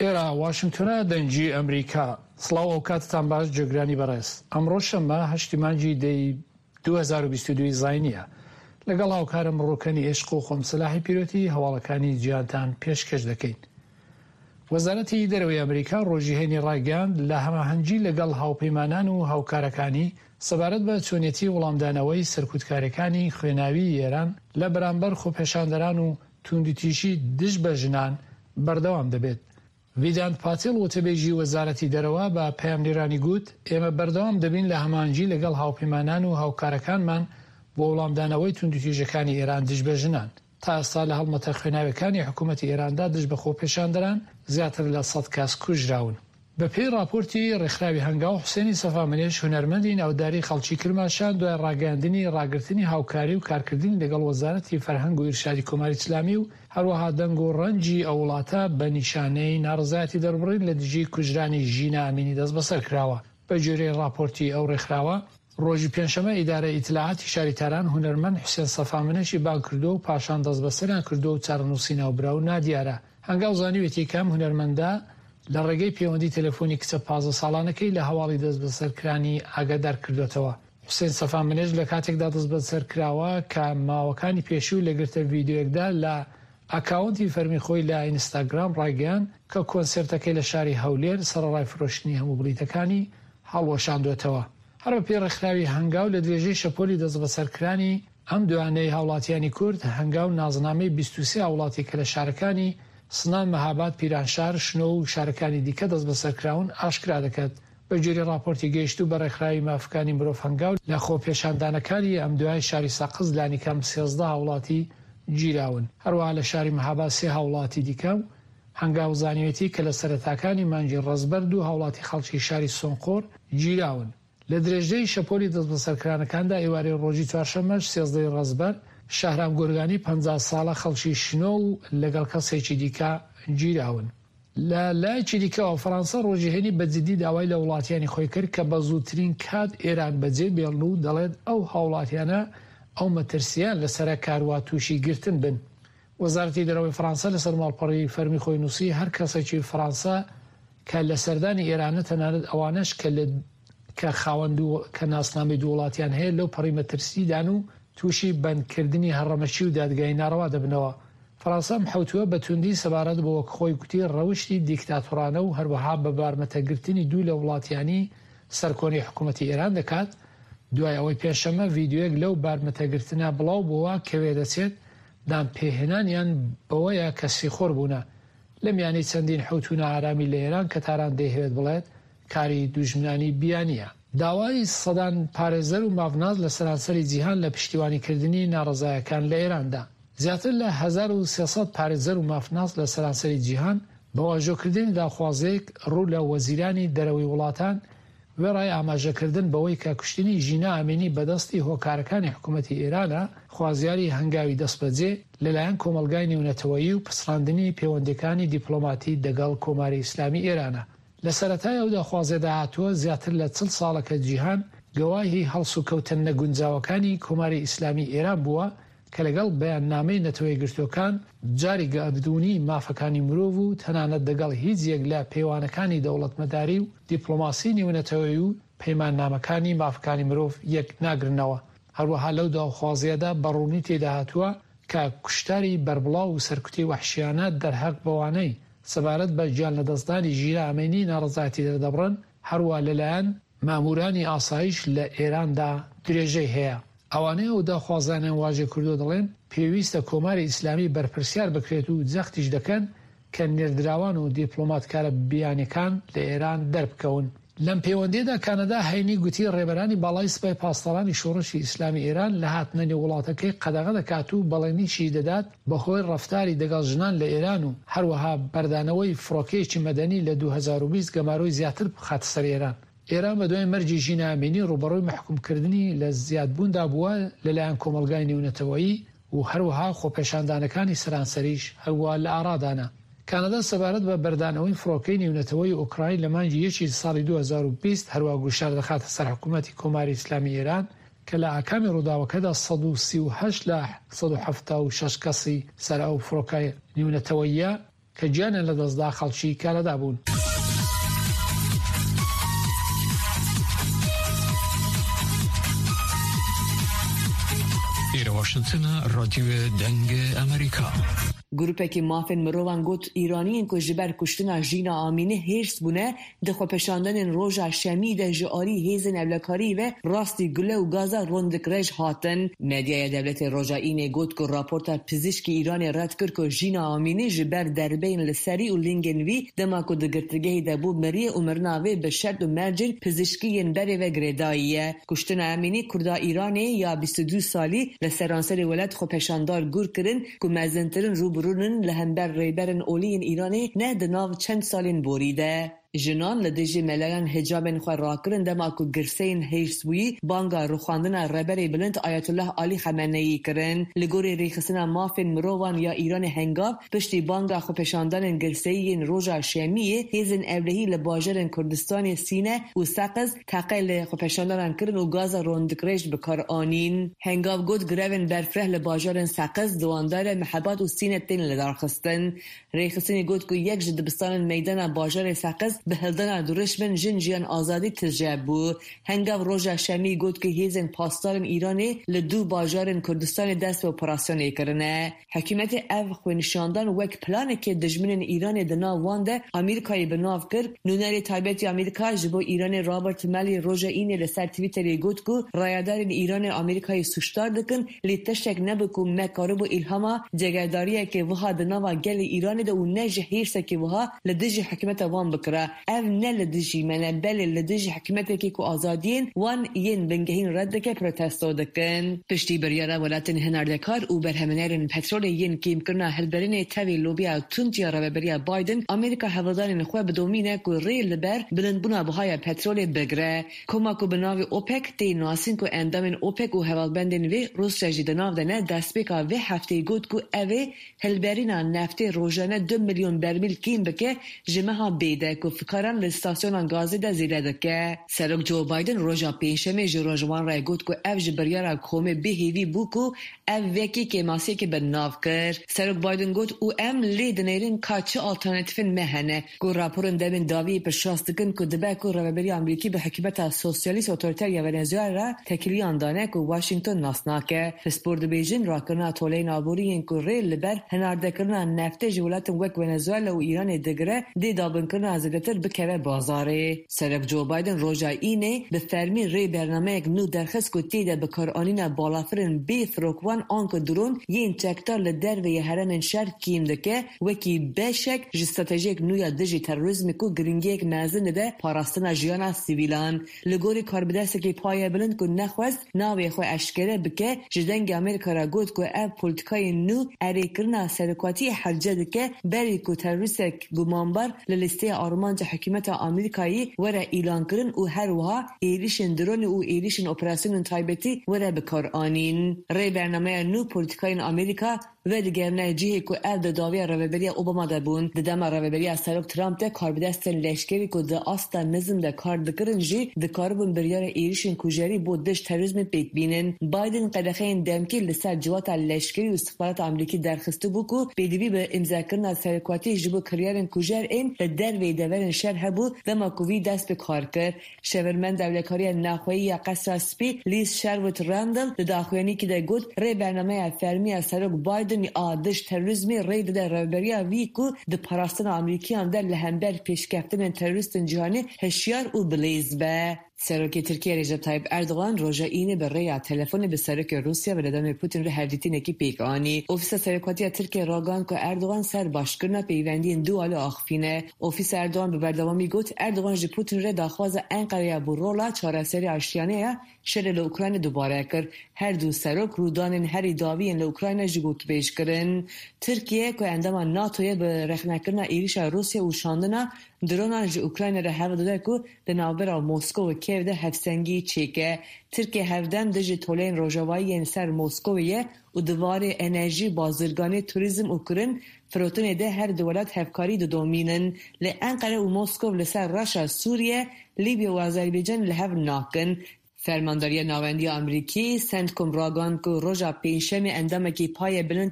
ئێرە واشنگتۆنە دەنگی ئەمریکا. سڵاو ئەوکاتتان باش جێگرانی بەڕێز. ئەمڕۆ شەممە هەشتی مانگی دەی 2022 زاینیە. لەگەڵ هاوکارم ڕوکەنی ئێشق و خۆم سەلاحی پیرۆتی هەواڵەکانی جیهانتان پێشکەش دەکەین. وەزارەتی دەرەوەی ئەمریکا ڕۆژی هەینی ڕایگەیاند لە هەماهەنگی لەگەڵ هاوپەیمانان و هاوکارەکانی سەبارەت بە چۆنیەتی وڵامدانەوەی سەرکوتکاریەکانی خوێناویی ئێران لە بەرامبەر خۆپێشاندەران و توندوتیژی دژ بە ژنان بەردەوام دەبێت. ڤیدانت پاتێل وتەبێژی وەزارەتی دەرەوە بە پەیامنێرانی گوت، ئێمە بەردەوام دەبین لە هەماهەنگی لەگەڵ هاوپەیمانان و هاوکارەکانمان بۆ وڵامدانەوەی توندوتیژەکانی ئێران دژ بە ژنان. تا ئێستا لە هەڵمەتە خوێناویەکانی حکوومەتی ئێراندا دژ بە خۆپێشاندەران زیاتر لە سەد کەس کوژراون. بە پێی ڕاپۆرتی ڕێکخراوی هەنگاو، حوسێنی سەفامنێش هونەرمەندی ناوداری خەڵکی کرماشان دوای ڕاگەیاندنی ڕاگرتنی هاوکاری و کارکردنی لەگەڵ وەزارەتی فەرهەنگ و ئیرشادی کۆماری ئیسلامی و هەروەها دەنگ و ڕەنگی ئەو وڵاتە بە نیشانەی ناڕەزایەتی دەربڕین لە دژی کوژرانی ژینا ئەمینی دەستبەسەر کراوە. بە گوێرەی ڕاپۆرتی ئەو ڕێکخراوە، ڕۆژی پێنجشەممە ئیدارەی ئیتلاعاتی شاری تاران هونەرمەند حوسێن سەفامنەشی بانگ کردووە و پاشان دەستبەسەریان کردووە و چارەنووسی ناوبراو نادیارە. هەنگاو زانیویەتی کە ئەم هونەرمەندە لە ڕێگەی پێوەندی تەلەفۆنی کچە 15 ساڵانەکەی لە هەواڵی دەستبەسەرکرانی ئاگادار کردووەتەوە. حوسێن سەفامنێش لە کاتێکدا دەستبەسەر کراوە کە ماوەکانی پێشوو لە گرتە ڤیدیۆیەکدا لە ئاکاونتی فەرمی خۆی لە ئینستاگرام ڕایگەیاند کە کۆنسێرتەکەی لە شاری هەولێر سەرەڕای فرۆشتنی هەموو بلیتەکانی هەڵوەشاندووەتەوە. هەر بەپێی ڕێکخراوی هەنگاو لە درێژەی شەپۆلی دەستبەسەرکرانی ئەم دوایانەی هاوڵاتیانی کورد، هەنگاو نازنامەی 23 هاوڵاتی کە لە شارەکانی سنە، مەهاباد، پیرانشار، شنۆ و شارەکانی دیکە دەستبەسەرکراون ئاشکرا دەکات. بەگوێرەی ڕاپۆرتی گەیشتوو بە ڕێکخراوی مافەکانی مرۆڤ هەنگاو، لە خۆپێشاندانەکانی ئەمدوایەی شاری سەقز لانیکەم 13 هاوڵاتی گیراون. هەروەها لە شاری مەهاباد سێ هاوڵاتی دیکە و هەنگاو زانیویەتی کە لە سەرەتاکانی مانگی ڕەزبەر دوو هاوڵاتی خەڵکی شاری سۆنقۆر گیراون. لە درێژەی شەپۆلی دەستبەسەرکرانەکاندا ئێوارەی ڕۆژی چوارشەممەش 13 ی ڕەزبەر شەهرام گۆرگانی 50 ساڵە خەڵکی شنۆ و لەگەڵ کەسێکی دیکە گیراون. لە لایەکی دیکەوە فەرانسە ڕۆژی هەینی بە جیددی داوای لە وڵاتیانی خۆی کرد کە بە زووترین کات ئێران بەجێ بێڵن و دەڵێت ئەو هاوڵاتیانە ئەو مەترسییەیان لەسەرە کاروا تووشی گرتن بن. وەزارەتی دەرەوەی فەرانسە لەسەر ماڵپەڕی فەرمی خۆی نووسی هەر کەسێکی فەرانسە کە لە سەردانی ئێرانە تەنانەت ئەوانەش کە لە کە خاوەن دوو کە ناسنامەی دوو وڵاتیان هەیە لەو پەڕی مەترسیدان و تووشی بەندکردنی هەڕەمەکی و دادگایی ناڕەوا دەبنەوە. فەرانسە ئەم حەوتووە بە توندی سەبارەت بە وەک خۆی گوتی ڕەوشتی دیکتاتۆرانە و هەروەها بە بارمتە گرتنی دوو لە وڵاتیانی سەرکۆنەی حکوومەتی ئێران دەکات دوای ئەوەی پێنجشەممە ڤیدیۆیەک لەو بارمتە گرتنە بڵاو بۆوە کە وێدەچێت دانپێهێنانیان بەوەیە کە سیخۆر بوونە لە میانەی چەندین حەوتوو نائارامی لە ئێران کە تاران دەیهەوێت بڵێت کاری دوژمنانی بیانییە. داوای سەدان پارێزەر و مافناس لە سەرانسەری جیهان لە پشتیوانیکردنی ناڕەزایەکان لە ئێراندا. زیاتر لە 1300 پارێزەر و مافناس لە سەرانسەری جیهان بە واژۆکردنی داخوازییەک ڕوو لە وەزیرانی دەرەوەی وڵاتان وێڕای ئاماژەکردن بەوەی کە کوشتنی ژینا ئەمینی بە دەستی هۆکارەکانی حکوومەتی ئێرانە، خوازیاری هەنگاوی دەستبەجێ لەلایەن کۆمەڵگای نێونەتەوەیی و پچڕاندنی پێوەندییەکانی دیپڵۆماتی دەگەڵ کۆماری ئیسلامی ئێرانە. لە سەرەتای ئەو داخوازیەدا هاتووە، زیاتر لە 40 ساڵە کە جیهان گەواهی هەڵسوکەوتە نەگونجاوەکانی کۆماری ئیسلامی ئێران بووە کە لەگەڵ بەیاننامەی نەتەوەیەکگرتووەکان، جاری گەردوونی مافەکانی مرۆڤ و تەنانەت دەگەڵ هیچ یەک لە پێوانەکانی دەوڵەتمەداری و دیپڵۆماسی نێونەتەوەیی و پەیماننامەکانی مافەکانی مرۆڤ یەک ناگرنەوە. هەروەها لەو داوخوازیەدا بە ڕوونی تێیدا هاتووە کە کوشتاری بەربڵاو و سەرکوتی وەحشیانە دەرهەق بەوانەی سەبارەت بە گیانلەدەستدانی ژینا ئەمینی ناڕەزایەتی دەردەبڕن هەروا لەلایەن ماموورانی ئاسایش لە ئێراندا درێژەی هەیە. ئەوانەی ئەو داخوازانەیان واژێ کردووە دەڵێن پێویستە کۆماری ئیسلامی بەرپرسیار بکرێت و جەختیش دەکەن کە نێردراوان و دیپڵۆماتکارە بیانیەکان لە ئێران دەربکەون. لەم پێوەندییەدا کانەدا هەینی گوتی ڕێبەرانی باڵای سپای پاسدارانی شۆڕشی ئیسلامی ئێران لە هاتنە نێو وڵاتەکەی قەدەغە دەکات و بەڵێنیشی دەدات بە هۆی ڕەفتاری دەگەڵ ژنان لە ئێران و هەروەها بەردانەوەی فڕۆکەیەکی مەدەنی لە 2020 گەمارۆی زیاتر بخاتە سەر ئێران. ئێران بە دوای مەرگی ژینا ئەمینی ڕووبەڕووی مەحکوومکردنی لە زیادبووندا بووە لەلایەن کۆمەڵگای نێونەتەوەیی و هەروەها خۆپێشاندانەکانی سەرانسەریش هەروا لە ئارادانە. کانەدا سەبارەت بە بەردانەوەی فڕۆکەی نێونەتەوەیی ئۆکراین لە مانگی یەکی ساڵی 2020 هەروا گوشار دەخاتە سەر حکوومەتی کۆماری ئیسلامی ئێران. کە لە ئاکامی ڕووداوەکەدا 138 لە 176 کەسی سەر ئەو فڕۆکە نیونەتەوەییە کە گیانیان لەدەستدا خەڵکی کەنەدا بوون. ئێرە واشنتنە، ڕادیۆ دەنگ ئەمریکا. Grûpekê mafên mirovan got Îraniyên ku ji ber kuştina Jîna Amînî hêrs bûne, di xwepêşandanên roja şemî de ji alî hêzên ewlekariyê ve rastî gule û gaza rondikrej hatin. Medyaya dewletê roja Înê got ku raporta pizîşkê Îranê red kir ku Jîna Amînî ji ber derbeyên li serî û lingên wî dema ku di girtîgehê de bû miriye û mirina wê bi şert û mercên pizîşkî yên berê ve girêdayî ye. Kuştina Emînî Kurda Îranê ya 22 salî li seranserê welat xwepêşandar gur kirin ku mezintirin rûbirû nin li hember rêberên olî yên Îranê ne di nav çend salên borî de. Jinan li dijî melayan hicabên xwe rakirin dema ku girseyên hêrsbûyî banga rûxandina Rêberê Bilind Ayetullah Alî Xemeneyî kirin. Li gorî Rêxistina Mafên Mirovan ya Îranê Hengaw, piştî banga xwepêşandanên girseyî yên roja Şemiyê, hêzên ewlehî li bajarên Kurdistanê Sîne û Seqiz teqe li xwepêşandanan kirin û gaza rondikrêj bi kar anîn. Hengaw got grevên berfireh li bajarên Seqiz, Diwandare, Mihebat û Sîne tên lidarxistin. Rêxistinê got ku yek ji dibistanên meydana bajarê Seqiz bi hildana durişmên Jin Jiyan Azadî tije bû. Hengaw roja Şemiyê got ku hêzên pasdarên Îranê li du bajarên Kurdistanê dest bi operasyonê kirine. Hikûmetê ev xwenîşandan wek planekê dijminên Îranê di nav wan de Amerîkayê bi nav kir. Nûnerê taybet yê Amerîka ji bo Îranê Robert Malley roja Înê li ser Twitterê got ku rayedarên Îranê Amerîkayê sûcdar dikin lê tiştek nebû ku me karibû îlhama cegerdariyekê wiha di nava gelê Îranê de û ne ji hêrsekê wiha li dijî hikûmeta wan bikira. Ev ne li dijî me ne, belê li dijî hikûmetekê ku azadiyên wan yên bingehîn red dike protesto dikin. Piştî biryara welatên hinardekar û berhemhênerên petrolê yên kêmkirina hilberînê tevî lobiya tund ya rêveberiya Biden, Amerîka hewldanên xwe bidomîne ku rê li ber bilindbûna bihaya petrolê bigire. Koma ku bi navê OPEC tê nasîn ku endamên OPEC û hevalbendên vê Rûsya jî di nav de ne, destpêka vê hefteyê got ku ev ê Hilberîna neftê rojane du milyon bermîl kêm bike ji meha bê de ku fikaran li stasyonan gazê de zêde dike. Serok Joe Biden roja pêncşemê ji rojwan re got ku ev ji biryara komê bê hêvî bû ku ev vekî kêmasiyekê bi nav kir. Serok Biden got û em lê dinêrin ka çi alternatîfên me hene. Ku raporên demên dawiyê piştrast dikin ku dibe ku rêveberiya Amerîkî bi hikûmeta sosyalîst otorîter ya Venezuela re tekiliyan dane ku Washington nas nake. Pispor dibêjin rakirina toleyên aborî yên ku rê li ber hinardekirina neftê ji welatên wek Venezuela û Îranê digire dê dabinkirina zêdetir bikeve bazarê. Serok Joe Biden roja Înê bi fermî rê bernameyek nû derxist ku tê de bikaranîna balafirên bê firokvan an ku dron yên çekdar li derveyê herêmên şer kêm dike wekî beşek ji stratejiyek nû ya dijî terorîzmê ku girîngiyek mezin dide parastina jiyana sivîlan. Li gorî karbidestekî paye bilind ku nexwest navê xwe eşkere bike, ji Dengê Amerîka re got ku ev polîtîkayên nû erêkirina serokatiyê hewce dike berî ku terorîstek gumanbar li lîsteya armanca hikûmeta Amerîkayê were îlankirin û her wiha êrîşên dronê û êrîşên operasyonên taybetî were bikaranîn. Rê bernameya nû polîtîkayên Amerîka Vedigerine cihê ku ev di dawiya rêveberiya Obama de bûn. Di dema rêveberiya Serok Trump de karbidestên leşkerî ku di asta nizm de kar dikirin jî dikaribûn biryara êrîşên kujerî bo dij terorîzmê pêk bînin. Biden qedexeyên demkî li ser civata leşkerî û îstixbarata Amerîkî derxistibû ku pêdivî bi îmzekirina serokatiyê ji bo kiryarên kujer ên li derveyî deverên şer hebû dema ku wî dest bi kar kir. Şêwirmenda Ewlekariya Navxweyî ya Qesra Spî Liz Sherwood Randall di daxuyaniyekî de got, Rê bernameya fermî ya Serok Biden a dij terorîzmê rê dide rêveberiya wî ku di parastina Amerîkiyan de li hember pêşkeftinên terorîstên cîhanê hişyar û bilêz be. Serokê Tirkiyê Recep Tayyip Erdogan roja Înê bi rêya telefonê bi Serokê Rûsya Vladimir Putin re hevdîtinekî pêk anî. Ofîsa Serokatiya Tirkiyê ragihand ku Erdogan ser başkirina pêwendiyên du alî axifîne. Ofîsa Erdogan bi berdewamî got, Erdogan ji Putin re daxwaza Enqerê ya bo rola çareseriya aştiyane ya şerê li Ukraynê dubare kir. Her du serok rûdanên herî dawî yên li Ukrayna jî gotûbêj kirin. Tirkiye ku endama NATO'ye bi rexnekirina êrîşa Rûsya û şandina dronan ji Ukraynê re hewl dide ku di navbera Moskow û Kiev de hevsengî çêke. Tirkiye hevdem dijî toleyên rojavayî yên ser Moskowê ye û di warê enerjî, bazirganî, turîzm û kirin firotinê de her du welat hevkarî didomînin. Lê Enqere û Moskow li ser reşa Sûriye, Lîbya û Azerbaycanê li hev nakin. Fermandariya Navendî ya Amerîkî, Centcom ragihand ku roja Pêncşemê endamekî paye bilind.